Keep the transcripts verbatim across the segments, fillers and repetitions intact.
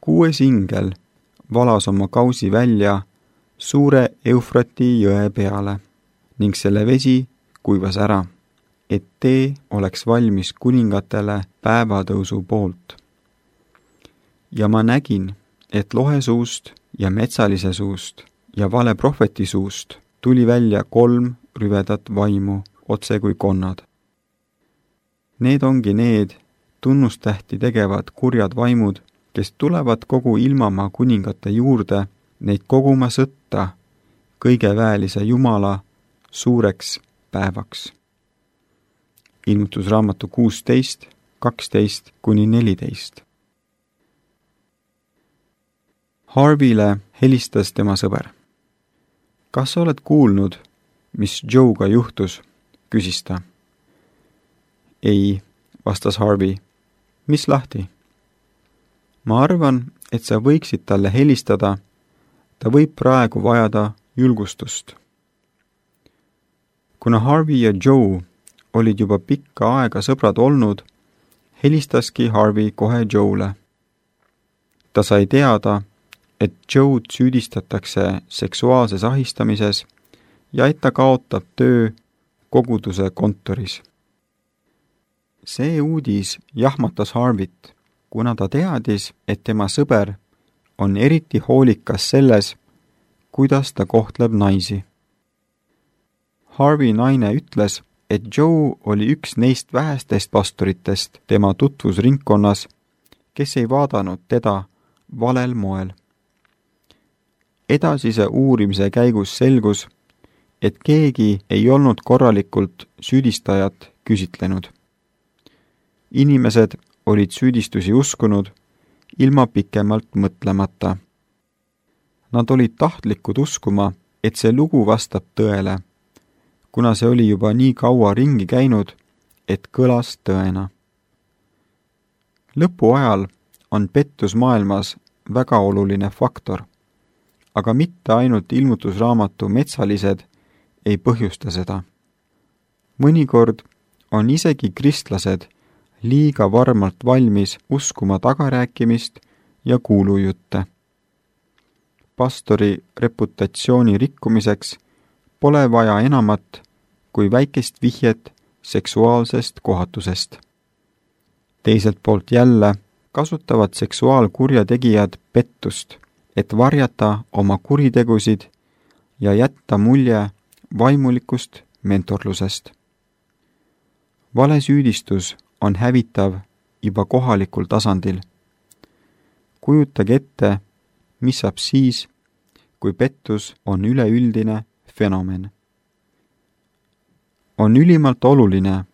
kuues ingel valas oma kausi välja suure Eufrati jõe peale ning selle vesi kuivas ära, et tee oleks valmis kuningatele päevatõusu poolt. Ja ma nägin, et lohe suust ja metsalise suust ja vale prohveti suust tuli välja kolm rüvedat vaimu, otse kui konnad. Need ongi need tunnustähti tegevad kurjad vaimud, kes tulevad kogu ilmamaa kuningate juurde neid koguma sõtta kõigeväelise Jumala suureks päevaks. Ilmutusraamatu kuusteist, kaksteist kuni neliteist. Harvile helistas tema sõber. Kas sa oled kuulnud, mis Joe'ga juhtus? Küsis ta. Ei, vastas Harvey. Mis lahti? Ma arvan, et sa võiksid talle helistada. Ta võib praegu vajada julgustust. Kuna Harvey ja Joe olid juba pikka aega sõbrad olnud, helistaski Harvey kohe Joe'le. Ta sai teada, et Joe'd süüdistatakse seksuaalses ahistamises ja et ta kaotab töö koguduse kontoris. See uudis jahmatas Harveyt, kuna ta teadis, et tema sõber on eriti hoolikas selles, kuidas ta kohtleb naisi. Harvey naine ütles, et Joe oli üks neist vähestest pastoritest tema tutvusringkonnas, kes ei vaadanud teda valel moel. Edasise uurimise käigus selgus, et keegi ei olnud korralikult süüdistajat küsitlenud. Inimesed olid süüdistusi uskunud ilma pikemalt mõtlemata. Nad olid tahtlikud uskuma, et see lugu vastab tõele, kuna see oli juba nii kaua ringi käinud, et kõlas tõena. Lõpu ajal on pettus maailmas väga oluline faktor, aga mitte ainult ilmutusraamatu metsalised ei põhjusta seda. Mõnikord on isegi kristlased liiga varmalt valmis uskuma tagarääkimist ja kuulujutte. Pastori reputatsiooni rikkumiseks pole vaja enamat kui väikest vihjet seksuaalsest kohatusest. Teiselt poolt jälle kasutavad seksuaalkurjategijad pettust, et varjata oma kuritegusid ja jätta mulje vaimulikust mentorlusest. Valesüüdistus on hävitav juba kohalikul tasandil. Kujutage ette, mis saab siis, kui pettus on üleüldine fenomen. On ülimalt oluline,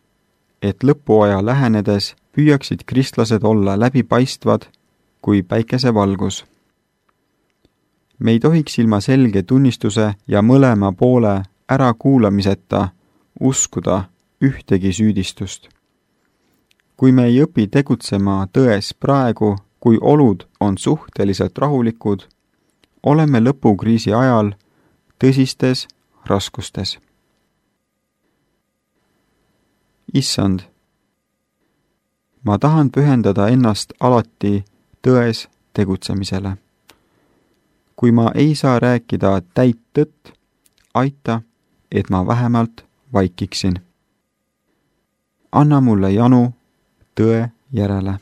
et lõpuaja lähenedes püüaksid kristlased olla läbipaistvad kui päikesevalgus. Me ei tohiks ilma selge tunnistuse ja mõlema poole ärakuulamiseta uskuda ühtegi süüdistust. Kui me ei õpi tegutsema tões praegu, kui olud on suhteliselt rahulikud, oleme lõpukriisi ajal tõsistes raskustes. Issand, ma tahan pühendada ennast alati tões tegutsemisele. Kui ma ei saa rääkida täit tõtt, aita, et ma vähemalt vaikiksin. Anna mulle janu tõe järele.